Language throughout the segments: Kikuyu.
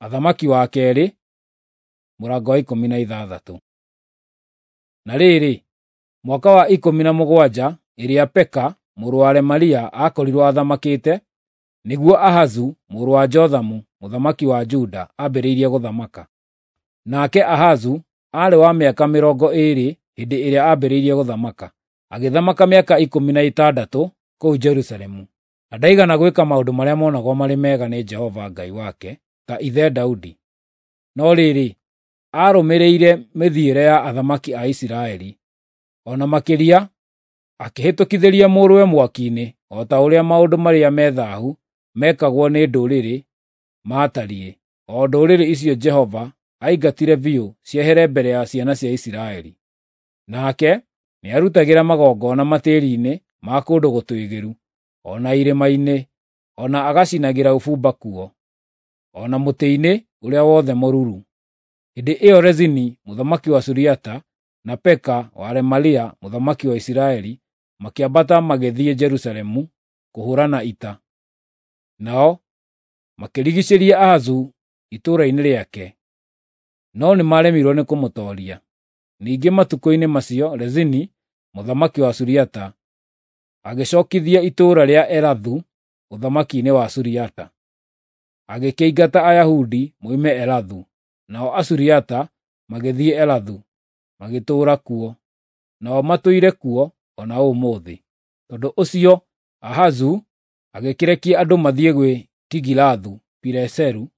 Athamaki wa kerĩ mũrango wa 16. Na rĩrĩ, mwaka wa 17 ĩrĩa Peka mũrũ wa Remalia aakorirwo athamakĩte, nĩguo Ahazu mũrũ wa Jothamu mũthamaki wa Juda ambĩrĩirie gũthamaka. Nake Ahazu aarĩ wa mĩaka 20 hĩndĩ ĩrĩa ambĩrĩirie gũthamaka, agĩthamaka mĩaka 16 kũu Jerusalemu. Na ndaigana gwĩka maũndũ marĩa monagwo marĩ mega nĩ Jehova Ngai wake ta ithe Daudi. No rĩrĩ, aarũmĩrĩire mĩthiĩre ya athamaki a Isiraeli. O na makĩria, akĩhĩtũkithĩria mũrũwe mwaki-inĩ o ta ũrĩa maũndũ marĩa me thaahu mekagwo nĩ ndũrĩrĩ maatariĩ, o ndũrĩrĩ icio Jehova aingatire biũ ciehere mbere ya ciana cia Isiraeli. Nake nĩarutagĩra magongona matĩĩri-inĩ ma kũndũ gũtũũgĩru, o na irĩma-inĩ, o na agacinagĩra ũbumba kuo, o na mũtĩ-inĩ ũrĩa wothe mũruru. Hĩndĩ ĩyo Rezini mũthamaki wa Suriata na Peka wa Remalia mũthamaki wa Isiraeli makĩambata magĩthiĩ Jerusalemu kũhũũrana ita. Nao makĩrigiicĩria Ahazu itũũra-inĩ rĩake, no nĩmaremirwo nĩ kũmũtooria. Ningĩ matukũ-inĩ macio Rezini mũthamaki wa Suriata agĩcookithia itũũra rĩa Elathu ũthamaki-inĩ wa Suriata. Agĩkĩingata Ayahudi moime Elathu, nao Asuriata magĩthiĩ Elathu, magĩtũũra kuo. Nao matũire kuo o na ũmũthĩ. Tondũ ũcio Ahazu agĩkĩrekia andũ mathiĩ gwĩ Tigilathu-Pileseru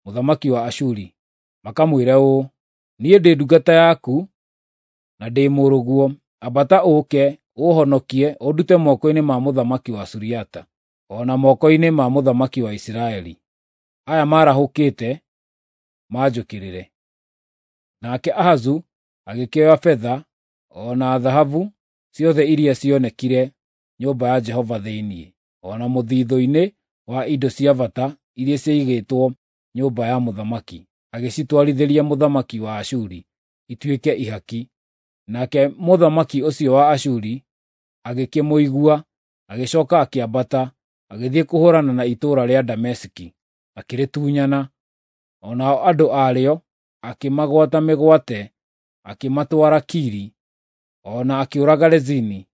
mũthamaki wa Ashuri, makamwĩre ũũ, “Niĩ ndĩ ndungata yaku na ndĩ mũrũguo. Ambata ũũke ũũhonokie ũndute moko-inĩ ma mũthamaki wa Suriata, o na moko-inĩ ma mũthamaki wa Isiraeli, aya maarahũkĩte manjũkĩrĩre.” Nake Ahazu agĩkĩoya betha o na thahabu ciothe iria cionekire nyũmba ya Jehova thĩinĩ, o na mũthithũ-inĩ wa indo cia bata iria ciaigĩtwo nyũmba ya mũthamaki, agĩcitwarithĩria mũthamaki wa Ashuri ituĩke ihaki. Nake mũthamaki ũcio wa Ashuri agĩkĩmũigua, agĩcooka akĩambata, agĩthiĩ kũhũũrana na itũũra rĩa Dameski, akĩrĩtunyana. O nao andũ a rĩo akĩmagwata mĩgwate, akĩmatwara Kiri, o na akĩũraga Rezini.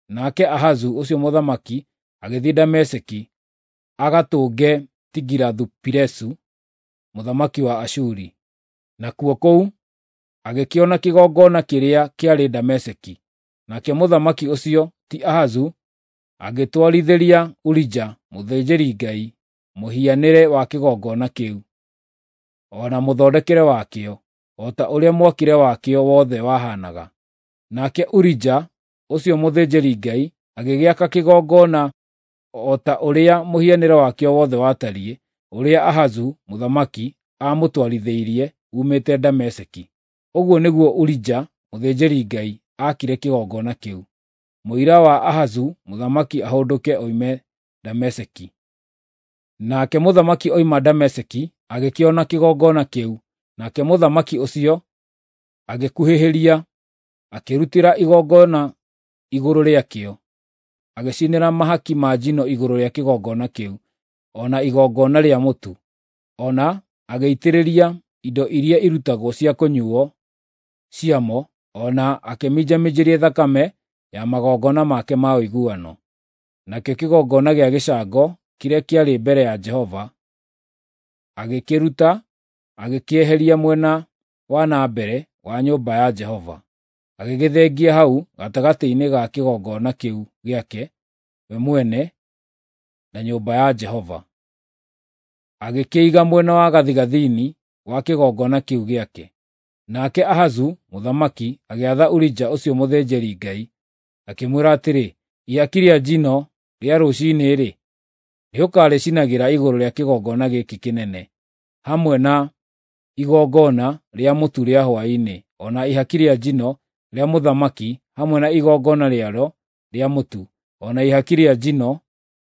Nake Ahazu ũcio mũthamaki agĩthiĩ Dameski agatũnge Tigilathu-Pilesu mũthamaki wa Ashuri. Nakuo kũu agĩkĩona kĩgongona kĩrĩa kĩarĩ Dameski. Nake mũthamaki ũcio, ti Ahazu, agĩtwarithĩria Urija mũthĩnjĩri-Ngai mũhianĩre wa kĩgongona kĩu, o na mũthondekere wakĩo, o ta ũrĩa mwakĩre wakĩo wothe wahaanaga. Nake Urija ũcio mũthĩnjĩri-Ngai agĩgĩaka kĩgongona o ta ũrĩa mũhianĩre wakĩo wothe watariĩ, ũrĩa Ahazu mũthamaki aamũtwarithĩirie uumĩte Dameski. Ũguo nĩguo Urija mũthĩnjĩri-Ngai aakire kĩgongona kĩu. Mũira wa Ahazu mũthamaki ahũndũke oime Dameski. Nake mũthamaki oima Dameski agĩkĩona kĩgongona kĩu, nake mũthamaki ũcio agĩkuhĩhĩria, akĩrutĩra igongona igũrũ rĩakĩo, agĩcinĩra mahaki ma njino igũrũ rĩa kĩgongona kĩu, o na igongona rĩa mũtu, o na agĩitĩrĩria indo iria irutagwo cia kũnyuuo ciamo, o na akĩminjaminjĩria thakame ya magongona make ma ũiguano. Nakĩo kĩgongona gĩa gĩcango kĩrĩa kĩarĩ mbere ya Jehova agĩkĩruta, agĩkĩeheria mwena wa na mbere wa nyũmba ya Jehova, agĩgĩthengia hau gatagatĩ-inĩ ga kĩgongona kĩu gĩake we mwene na nyũmba ya Jehova. Agĩkĩiga mwena wa gathigathini wa kĩgongona kĩu gĩake. Nake Ahazu mũthamaki agĩatha Urija ũcio mũthĩnjĩri-Ngai, akĩmwĩra atĩrĩ, “Ihaki rĩa njino rĩa rũciinĩ-rĩ, nĩũkarĩcinagĩra igũrũ rĩa kĩgongona gĩkĩ kĩnene, hamwe na igongona rĩa mũtu rĩa hwaĩ-inĩ, o na ihaki rĩa njino rĩa mũthamaki hamwe na igongona rĩarĩo rĩa mũtu, o na ihaki rĩa njino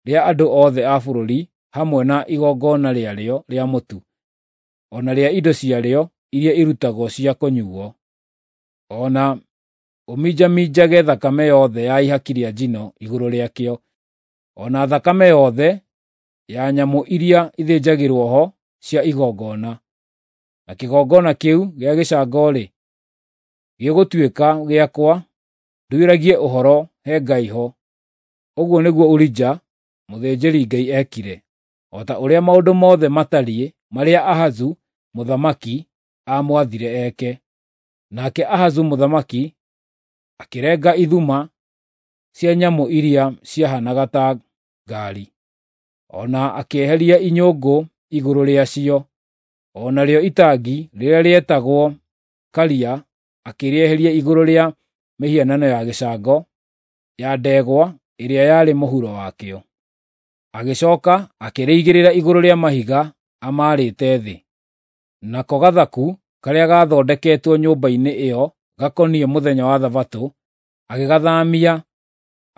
rĩa andũ othe a bũrũri hamwe na igongona rĩarĩo rĩa mũtu, o na rĩa indo ciarĩo iria irutagwo cia kũnyuuo. O na ũminjaminjage thakame yothe ya ihaki rĩa njino igũrũ rĩakĩo, o na thakame yothe ya nyamũ iria ithĩnjagĩrwo ho cia igongona. Na kĩgongona kĩu gĩa gĩcango-rĩ, gĩgũtuĩka gĩakwa nduĩragie ũhoro he Ngai ho. Ũguo nĩguo Urija mũthĩnjĩri-Ngai eekire, o ta ũrĩa maũndũ mothe matariĩ marĩa Ahazu mũthamaki aamwathire eke. Nake Ahazu mũthamaki akĩrenga ithuma cia nyamũ iria ciahaanaga ta ngaari, o na akĩeheria inyũngũ igũrũ rĩacio, o narĩo itangi rĩrĩa rĩetagwo Karia akĩrĩeheria igũrũ rĩa mĩhianano ya gĩcango ya ndegwa ĩrĩa yarĩ mũhuro wakĩo. Agĩcooka akĩrĩigĩrĩra igũrũ rĩa mahiga amaarĩte thĩ. Nako gathaku karĩa gaathondeketwo nyũmba-inĩ ĩyo gakoniĩ mũthenya wa Thabatũ agĩgathaamia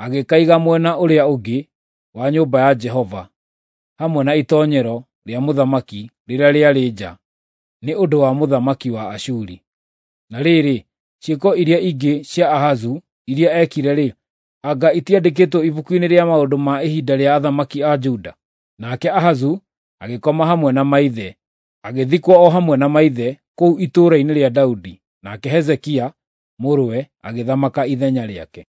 agĩkaiga mwena ũrĩa ũngĩ wa nyũmba ya Jehova, hamwe na itoonyero rĩa mũthamaki rĩrĩa rĩarĩ nja, nĩ ũndũ wa mũthamaki wa Ashuri. Na rĩrĩ, ciĩko iria ingĩ cia Ahazu iria eekire-rĩ, anga itiandĩkĩtwo ibuku-inĩ rĩa maũndũ ma ihinda rĩa athamaki a Juda? Nake Ahazu agĩkoma hamwe na maithe, agĩthikwo o hamwe na maithe kũu itũũra-inĩ rĩa Daudi. Nake Hezekia mũrũwe agĩthamaka ithenya rĩake.